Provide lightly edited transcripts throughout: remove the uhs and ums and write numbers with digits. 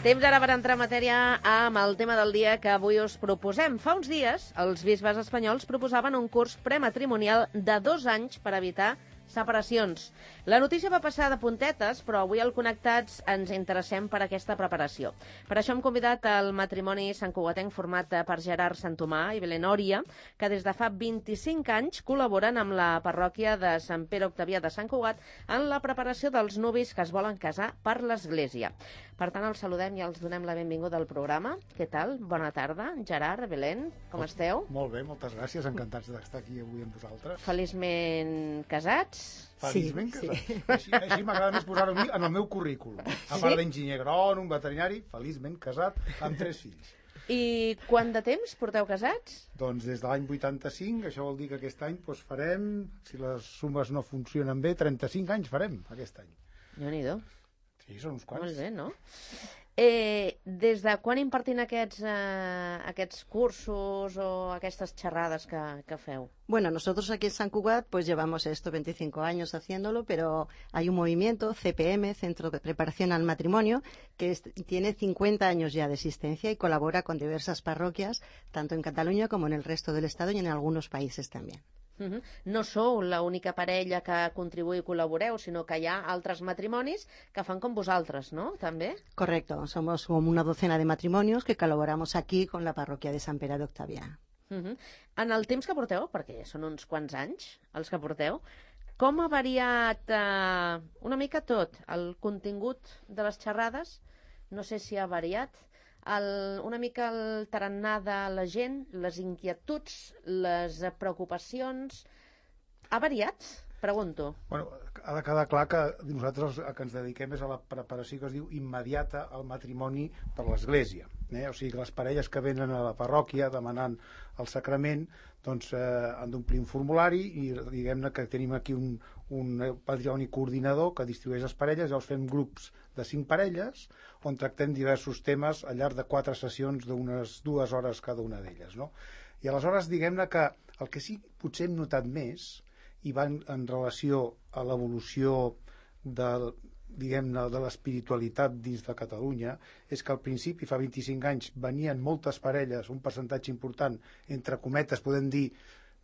Temps ara per entrar en matèria amb el tema del dia que avui us proposem. Fa uns dies, els bisbes espanyols proposaven un curs prematrimonial de 2 anys per evitar separacions. La notícia va passar de puntetes, però avui al Connectats ens interessem per aquesta preparació. Per això hem convidat el matrimoni santcugatenc format per Gerard Santomà i Belén Òria, que des de fa 25 anys col·laboren amb la parròquia de Sant Pere Octavià de Sant Cugat en la preparació dels nuvis que es volen casar per l'Església. Per tant, els saludem i els donem la benvinguda al programa. Què tal? Bona tarda. Gerard, Belén, com esteu? Molt bé, moltes gràcies. Encantats d'estar aquí avui amb vosaltres. Feliçment casats? Feliçment casats. Sí. Així m'agrada més posar-ho a mi en el meu currículum. A part d'enginyer agrònom, veterinari, feliçment casat amb 3 fills. I quant de temps porteu casats? Doncs des de l'any 85, això vol dir que aquest any farem, si les sumes no funcionen bé, 35 anys farem aquest any. Déu-n'hi-do. Sí, són uns quants. Molt bé, no? Des de quan impartint aquests cursos o aquestes xerrades que feu? Bueno, nosotros aquí en San Cugat pues llevamos 25 años haciéndolo, pero hay un movimiento, CPM, Centro de Preparación al Matrimonio, que tiene 50 años ya de existencia y colabora con diversas parroquias, tanto en Cataluña como en el resto del Estado y en algunos países también. No sou l'única parella que contribuïu i col·laboreu, sinó que hi ha altres matrimonis que fan com vosaltres, no? També? Correcto, somos como una docena de matrimonios que colaboramos aquí con la parroquia de Sant Pere d'Octavià. En el temps que porteu, perquè són uns quants anys els que porteu, com ha variat una mica tot? El contingut de les xerrades, no sé si ha variat, una mica el tarannà de la gent, les inquietuds, les preocupacions... Ha variat? Pregunto. Bueno, ha de quedar clar que nosaltres el que ens dediquem és a la preparació que es diu immediata al matrimoni per l'Església. O sigui que les parelles que venen a la parròquia demanant el sacrament doncs han d'omplir un formulari i diguem-ne que tenim aquí un patrimoni coordinador que distribueix les parelles, llavors fem grups de 5 parelles on tractem diversos temes al llarg de 4 sessions d'unes 2 hores cada una d'elles, no? I aleshores diguem-ne que el que sí potser hem notat més i va en relació a l'evolució de l'espiritualitat dins de Catalunya és que al principi, fa 25 anys, venien moltes parelles, un percentatge important, entre cometes, podem dir,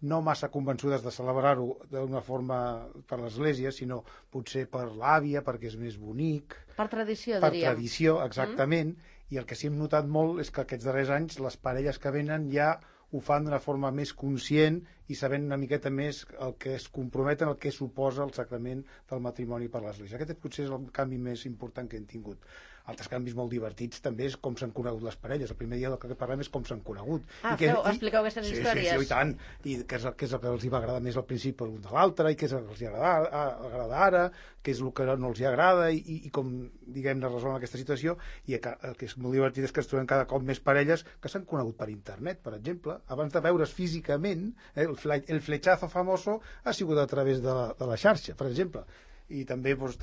no massa convençudes de celebrar-ho d'una forma per l'Església, sinó potser per l'àvia, perquè és més bonic. Per tradició, diríem. Per tradició, exactament. I el que sí hem notat molt és que aquests darrers anys les parelles que venen ja ho fan d'una forma més conscient i sabent una miqueta més el que es comprometen, el que suposa el sacrament del matrimoni per l'Església. Aquest potser és el canvi més important que hem tingut. Altres canvis molt divertits també és com s'han conegut les parelles. El primer dia del que parlem és com s'han conegut. Expliqueu aquestes històries. Sí, i tant. I què és el que els va agradar més al principi l'un de l'altre, i què és el que els agrada ara, què és el que no els agrada, i com, diguem-ne, resolen aquesta situació. I el que és molt divertit és que es trobem cada cop més parelles que s'han conegut per internet, per exemple. Abans de veure's físicament, el flechazo famoso ha sigut a través de la xarxa, per exemple. Y también muchos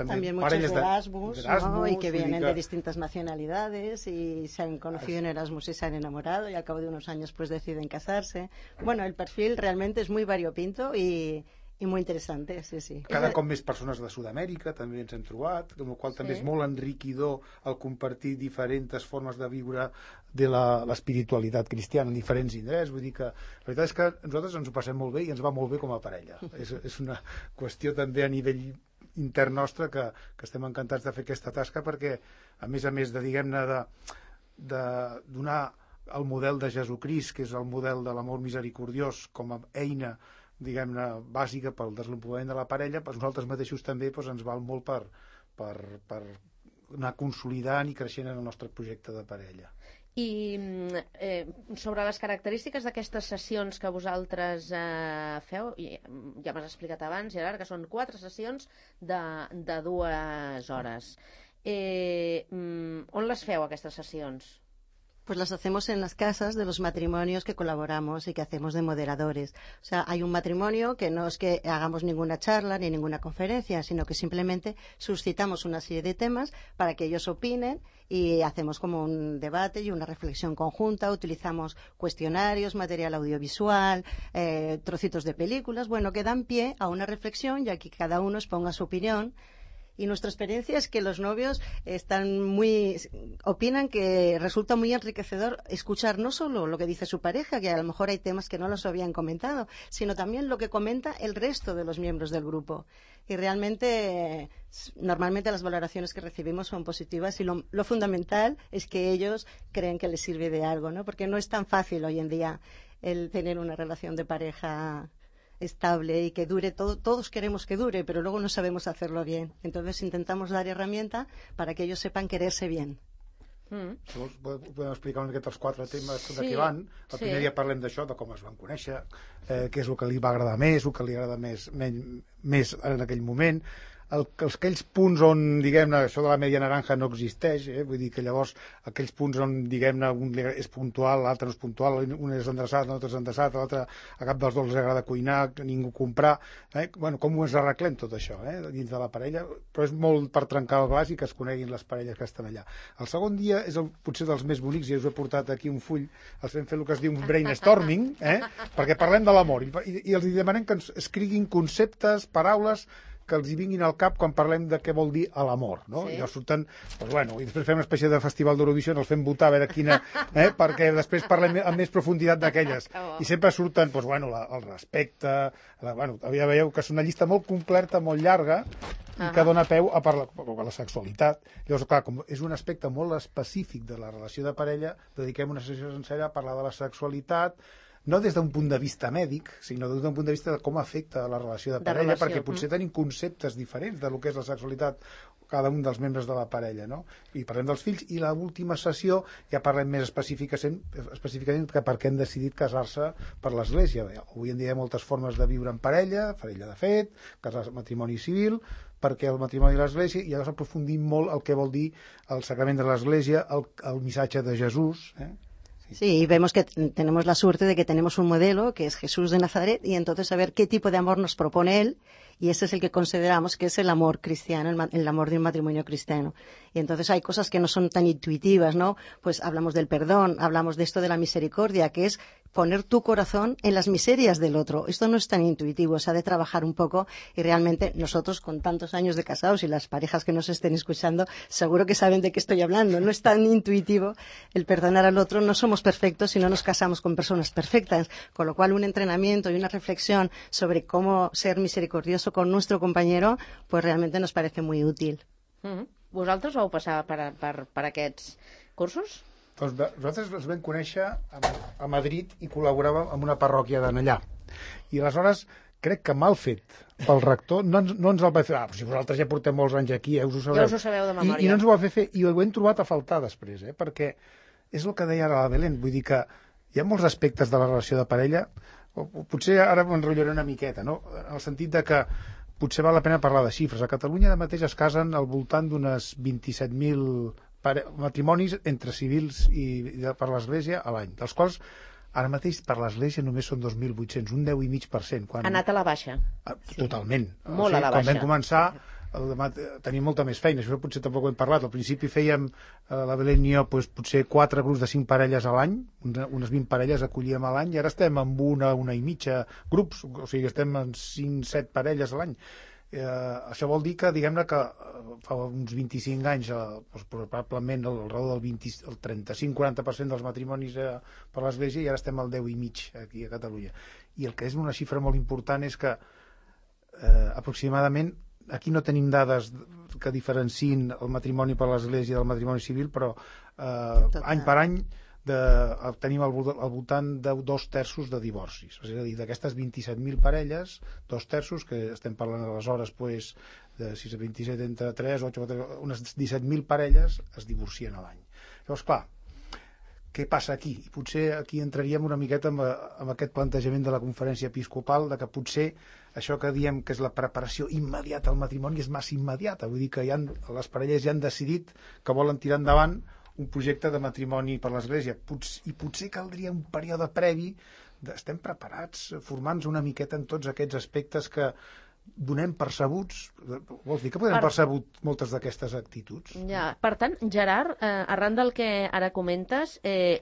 Erasmus, ¿no? Y que vienen de distintas nacionalidades y se han conocido en Erasmus y se han enamorado y al cabo de unos años pues deciden casarse. Bueno, el perfil realmente es muy variopinto y muy interessant, sí. Cada cop més persones de Sud-amèrica també ens hem trobat, amb la qual també és molt enriquidor el compartir diferents formes de viure de l'espiritualitat cristiana en diferents indrets. Vull dir que la veritat és que nosaltres ens ho passem molt bé i ens va molt bé com a parella. És una qüestió també a nivell intern nostre que estem encantats de fer aquesta tasca perquè, a més de, diguem-ne, de donar el model de Jesucrist, que és el model de l'amor misericordiós com a eina, diguem-ne, bàsica pel desenvolupament de la parella, doncs nosaltres mateixos també ens val molt per anar consolidant i creixent en el nostre projecte de parella. I sobre les característiques d'aquestes sessions que vosaltres feu, ja m'has explicat abans, Gerard, que són 4 sessions de 2 hores. On les feu, aquestes sessions? Pues las hacemos en las casas de los matrimonios que colaboramos y que hacemos de moderadores. O sea, hay un matrimonio que no es que hagamos ninguna charla ni ninguna conferencia, sino que simplemente suscitamos una serie de temas para que ellos opinen y hacemos como un debate y una reflexión conjunta. Utilizamos cuestionarios, material audiovisual, trocitos de películas, bueno, que dan pie a una reflexión y aquí cada uno exponga su opinión. Y nuestra experiencia es que los novios opinan que resulta muy enriquecedor escuchar no solo lo que dice su pareja, que a lo mejor hay temas que no los habían comentado, sino también lo que comenta el resto de los miembros del grupo. Y realmente, normalmente las valoraciones que recibimos son positivas y lo fundamental es que ellos creen que les sirve de algo, ¿no? Porque no es tan fácil hoy en día el tener una relación de pareja estable y que dure. Todos queremos que dure, pero luego no sabemos hacerlo bien. Entonces intentamos dar herramienta para que ellos sepan quererse bien. Si vols, podem explicar una miqueta els 4 temes de què van. El primer dia parlem d'això, de com es van conèixer, què és el que li va agradar més, el que li agrada més en aquell moment. Aquells punts on, diguem-ne, això de la media naranja no existeix, vull dir que llavors aquells punts on, diguem-ne, un és puntual, l'altre no és puntual, un és endreçat, l'altre és endreçat, l'altre a cap dels dos els agrada cuinar, ningú comprar, bueno, com ho ens arreglem tot això, dins de la parella, però és molt per trencar el glaç i que es coneguin les parelles que estan allà. El segon dia és potser dels més bonics, i us he portat aquí un full, els vam fer el que es diu un brainstorming, perquè parlem de l'amor, i els demanem que ens escriguin conceptes, paraules que els hi vinguin al cap quan parlem de què vol dir l'amor, no? I llavors surten, doncs bueno, i després fem una espècie de festival d'Eurovisió, els fem votar a veure quina, perquè després parlem amb més profunditat d'aquelles. I sempre surten, doncs bueno, el respecte, bueno, ja veieu que és una llista molt completa, molt llarga, i que dona peu a parlar de la sexualitat. Llavors, clar, com és un aspecte molt específic de la relació de parella, dediquem una sessió sencera a parlar de la sexualitat, no des d'un punt de vista mèdic, sinó des d'un punt de vista de com afecta la relació de parella, perquè potser tenim conceptes diferents de lo que és la sexualitat cada un dels membres de la parella, no? I parlem dels fills, i l'última sessió ja parlem més específicament que per què han decidit casar-se per l'Església. Avui en dia hi ha moltes formes de viure en parella de fet, matrimoni civil, perquè el matrimoni de l'Església, i llavors aprofundim molt el que vol dir el sacrament de l'Església, el missatge de Jesús, Sí, y vemos que tenemos la suerte de que tenemos un modelo que es Jesús de Nazaret, y entonces saber qué tipo de amor nos propone él, y ese es el que consideramos que es el amor cristiano, el amor de un matrimonio cristiano. Y entonces hay cosas que no son tan intuitivas, ¿no? Pues hablamos del perdón, hablamos de esto de la misericordia, que es poner tu corazón en las miserias del otro. Esto no es tan intuitivo, se ha de trabajar un poco, y realmente nosotros con tantos años de casados, y las parejas que nos estén escuchando seguro que saben de qué estoy hablando. No es tan intuitivo el perdonar al otro, no somos perfectos y no nos casamos con personas perfectas, con lo cual un entrenamiento y una reflexión sobre cómo ser misericordioso con nuestro compañero pues realmente nos parece muy útil. Vosaltres vau passar per aquests cursos? Doncs nosaltres els vam conèixer a Madrid i col·laboràvem amb una parròquia d'allà. I aleshores crec que mal fet pel rector no ens el va fer. Però si vosaltres ja portem molts anys aquí, us ho sabeu. Ja us ho sabeu de memòria. I no ens ho va fer, i ho hem trobat a faltar després, perquè és el que deia ara la Belén, vull dir que hi ha molts aspectes de la relació de parella, potser ara m'enrotllaré una miqueta, no? En el sentit de que potser val la pena parlar de xifres. A Catalunya ara mateix es casen al voltant d'unes 27.000 matrimonis entre civils i per l'Església a l'any, dels quals ara mateix per l'Església només són 2.800, un 10,5%. Ha anat a la baixa. Totalment. Molt a la baixa. Quan vam començar tenim molta més feina, això potser tampoc ho hem parlat. Al principi fèiem, la Belén i jo, potser 4 grups de 5 parelles a l'any, unes 20 parelles acollíem a l'any, i ara estem amb una i mitja grups, o sigui, estem en 5-7 parelles a l'any. Això vol dir que, diguem-ne, que fa uns 25 anys, probablement al redor del 35-40% dels matrimonis per l'Església, i ara estem al 10,5% aquí a Catalunya. I el que és una xifra molt important és que aproximadament, aquí no tenim dades que diferenciïn el matrimoni per l'Església del matrimoni civil, però any per any tenim al voltant de 2/3 de divorcis. És a dir, d'aquestes 27.000 parelles, 2/3, que estem parlant aleshores de 6 a 27 entre 3, 8, 4, unes 17.000 parelles es divorcien a l'any. Llavors, clar, què passa aquí? I potser aquí entraríem una miqueta amb aquest plantejament de la conferència episcopal, de que potser això que diem que és la preparació immediata al matrimoni és massa immediata. Vull dir que les parelles ja han decidit que volen tirar endavant un projecte de matrimoni per l'Església, i potser caldria un període previ estem preparats, formant-nos una miqueta en tots aquests aspectes que donem percebuts. Vols dir que podem percebut moltes d'aquestes actituds? Ja. Per tant, Gerard, arran del que ara comentes,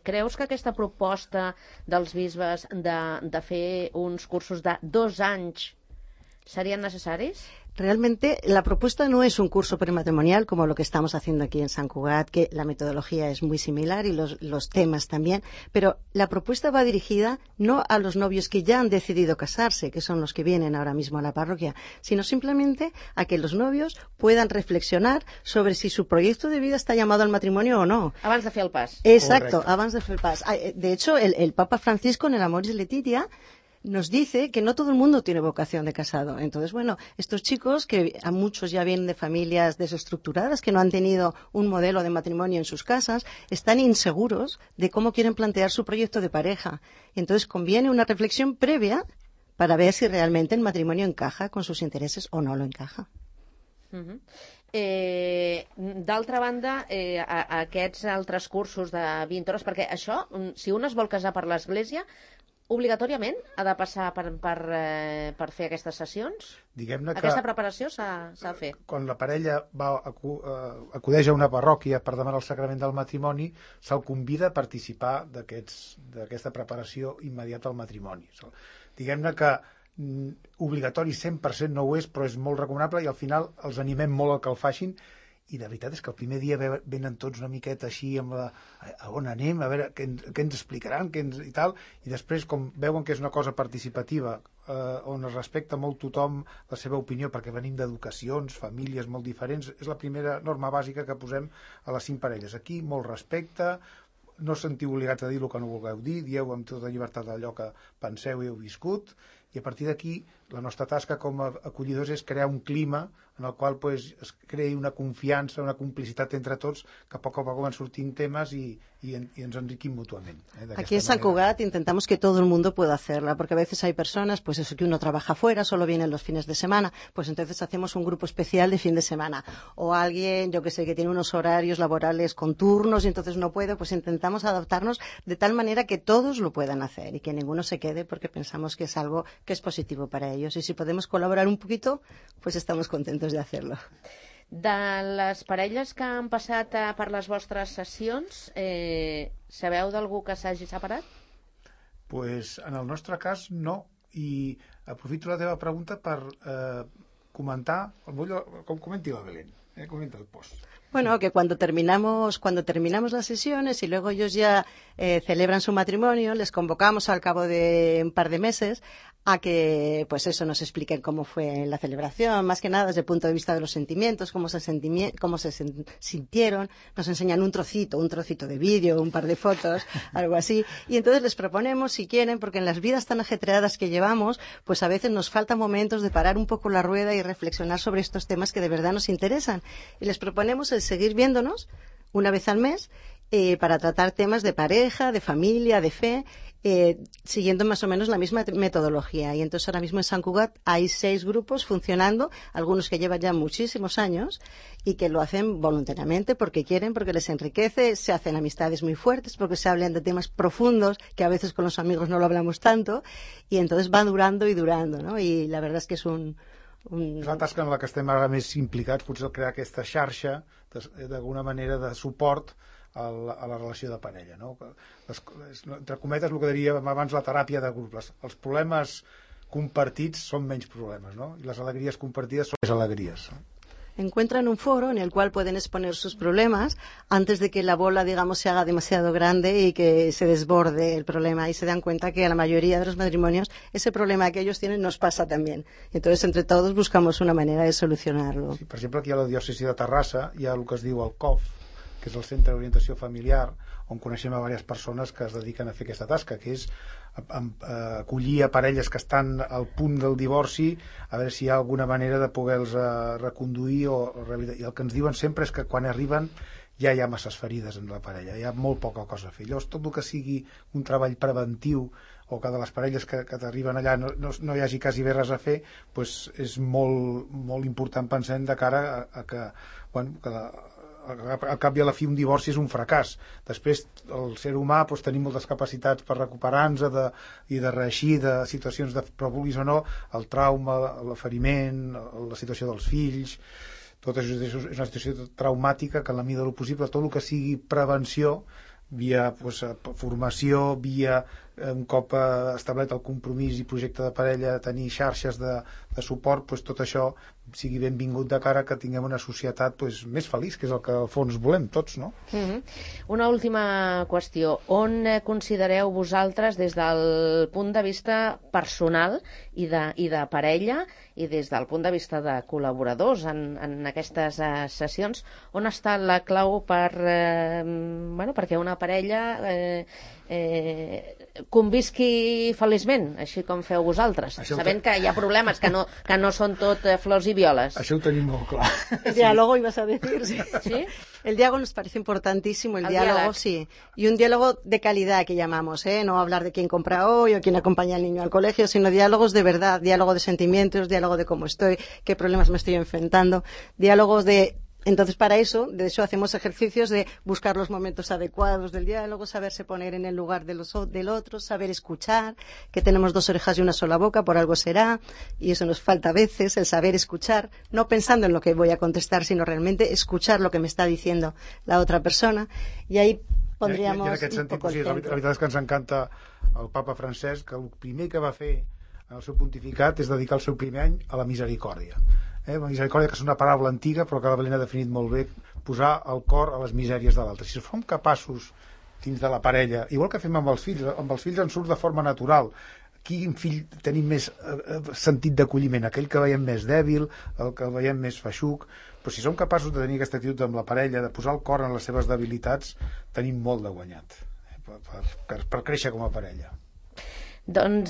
creus que aquesta proposta dels bisbes de fer uns cursos de 2 anys serien necessaris? Realmente la propuesta no es un curso prematrimonial como lo que estamos haciendo aquí en Sant Cugat, que la metodología es muy similar y los temas también, pero la propuesta va dirigida no a los novios que ya han decidido casarse, que son los que vienen ahora mismo a la parroquia, sino simplemente a que los novios puedan reflexionar sobre si su proyecto de vida está llamado al matrimonio o no. Abans de fer el pas. Exacto, Correcto. abans de fer el pas. De hecho, el Papa Francisco en el Amoris Laetitia nos dice que no todo el mundo tiene vocación de casado. Entonces, bueno, estos chicos, que a muchos ya vienen de familias desestructuradas, que no han tenido un modelo de matrimonio en sus casas, están inseguros de cómo quieren plantear su proyecto de pareja. Entonces, conviene una reflexión previa para ver si realmente el matrimonio encaja con sus intereses o no lo encaja. D'altra banda, aquests altres cursos de 20 hores, perquè això, si un es vol casar per l'Església, obligatòriament ha de passar per fer aquestes sessions? Diguem-ne que Aquesta preparació s'ha de fer. quan la parella acudeix a una parròquia per demanar el sacrament del matrimoni, se'l convida a participar d'aquesta preparació immediata al matrimoni. Diguem-ne que obligatori 100% no ho és, però és molt recomanable i al final els animem molt a que el facin. I la veritat és que el primer dia venen tots una miqueta així amb a on anem, a veure què ens explicaran i tal, i després com veuen que és una cosa participativa on es respecta molt tothom la seva opinió, perquè venim d'educacions, famílies molt diferents, és la primera norma bàsica que posem a les 5 parelles. Aquí molt respecte, no sentiu obligats a dir el que no vulgueu dir, dieu amb tota llibertat allò que penseu i heu viscut, i a partir d'aquí la nostra tasca com a acollidors és crear un clima en el qual es creï una confiança, una complicitat entre tots, que a poc van sortint temes i ens enriquim mútuament. Aquí en Sant Cugat intentamos que todo el mundo pueda hacerla, porque a veces hay personas, pues eso, que uno trabaja fuera, solo vienen los fines de semana, pues entonces hacemos un grupo especial de fin de semana. O alguien, yo que sé, que tiene unos horarios laborales con turnos y entonces no puede, pues intentamos adaptarnos de tal manera que todos lo puedan hacer y que ninguno se quede, porque pensamos que es algo que es positivo para ellos. Y si podemos colaborar un poquito, pues estamos contentos de hacerlo. De les parelles que han passat per les vostres sessions, sabeu d'algú que s'hagi separat? Pues en el nostre cas no, i aprofito la teva pregunta per comentar, com comenti la Belén, comenta el post. Bueno, que cuando terminamos las sesiones y luego ellos ya celebran su matrimonio, les convocamos al cabo de un par de meses a que, pues eso, nos expliquen cómo fue la celebración, más que nada desde el punto de vista de los sentimientos, cómo se sintieron, nos enseñan un trocito de vídeo, un par de fotos, algo así, y entonces les proponemos, si quieren, porque en las vidas tan ajetreadas que llevamos, pues a veces nos faltan momentos de parar un poco la rueda y reflexionar sobre estos temas que de verdad nos interesan, y les proponemos el seguir viéndonos una vez al mes para tratar temas de pareja, de familia, de fe, siguiendo más o menos la misma metodología. Y entonces ahora mismo en Sant Cugat hay 6 grupos funcionando, algunos que llevan ya muchísimos años y que lo hacen voluntariamente porque quieren, porque les enriquece, se hacen amistades muy fuertes, porque se hablan de temas profundos que a veces con los amigos no lo hablamos tanto, y entonces van durando y durando, ¿no? Y la verdad es que es És la tasca en la que estem ara més implicats, potser crear aquesta xarxa d'alguna manera de suport a la relació de parella, no? Entre cometes, el que diríem abans, la teràpia de grup. Els problemes compartits són menys problemes, no? I les alegries compartides són més alegries, no? Encuentran un foro en el cual pueden exponer sus problemas antes de que la bola, digamos, se haga demasiado grande y que se desborde el problema, y se dan cuenta que a la mayoría de los matrimonios ese problema que ellos tienen nos pasa también. Entonces, entre todos buscamos una manera de solucionarlo. Sí, per exemple, aquí a la diòcesi de Terrassa hi ha el que es diu el COF, que és el Centre d'Orientació Familiar, on coneixem a diverses persones que es dediquen a fer aquesta tasca, que és acollir a parelles que estan al punt del divorci, a veure si hi ha alguna manera de poder-los reconduir i el que ens diuen sempre és que quan arriben ja hi ha masses ferides en la parella, hi ha molt poca cosa a fer. Llavors, tot el que sigui un treball preventiu o que de les parelles que t'arriben allà no hi hagi quasi bé res a fer, doncs és molt, molt important, pensem, de cara a que, bueno, que al cap i a la fi un divorci és un fracàs. Després el ser humà tenim moltes capacitats per recuperar-nos i de reeixir de situacions però vulguis o no, el trauma, l'aferiment, la situació dels fills, tot això és una situació traumàtica que en la mida del possible tot el que sigui prevenció via formació, via un cop establert el compromís i projecte de parella, tenir xarxes de suport, doncs tot això sigui benvingut de cara que tinguem una societat doncs, més feliç, que és el que al fons volem tots, no? Una última qüestió. On considereu vosaltres, des del punt de vista personal i de parella, i des del punt de vista de col·laboradors en aquestes sessions, on està la clau perquè una parella convisqui feliçment, així com feu vosaltres, sabent que hi ha problemes, que no són tot flors i violes? Això ho tenim molt clar. El diálogo, ibas a decir. ¿Sí? El diálogo nos parece importantísimo, el diálogo, sí. Y un diálogo de calidad que llamamos, no hablar de quién compra hoy o quién acompaña al niño al colegio, sino diálogos de verdad, diálogo de sentimientos, diálogo de cómo estoy, qué problemas me estoy enfrentando, diálogos de... Entonces, para eso, de hecho, hacemos ejercicios de buscar los momentos adecuados del diálogo, saberse poner en el lugar del otro, saber escuchar, que tenemos dos orejas y una sola boca, por algo será, y eso nos falta a veces, el saber escuchar, no pensando en lo que voy a contestar, sino realmente escuchar lo que me está diciendo la otra persona, y ahí pondríamos en aquest sentit, la veritat és que ens encanta el papa Francesc, que el primer que va fer en el seu pontificat és dedicar el seu primer any a la misericòrdia. La misericòrdia, que és una paraula antiga però que la Belén ha definit molt bé, posar el cor a les misèries de l'altre. Si som capaços dins de la parella, igual que fem amb els fills ens surt de forma natural. Quin fill tenim més sentit d'acolliment? Aquell que veiem més dèbil, el que veiem més feixuc. Però si som capaços de tenir aquesta actitud amb la parella, de posar el cor en les seves debilitats, tenim molt de guanyat per créixer com a parella. Doncs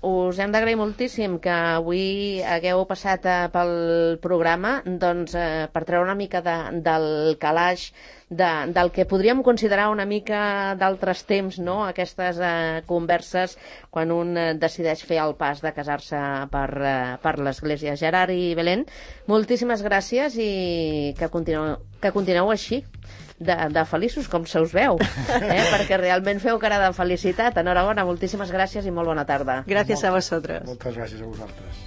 us hem d'agrair moltíssim que avui hagueu passat pel programa per treure una mica del calaix del que podríem considerar una mica d'altres temps, no? Aquestes converses quan un decideix fer el pas de casar-se per l'Església. Gerard i Belén, moltíssimes gràcies i que continueu així de feliços, com se us veu, perquè realment feu cara de felicitat. Enhorabona, moltíssimes gràcies i molt bona tarda. Gràcies a vosaltres. Moltes gràcies a vosaltres.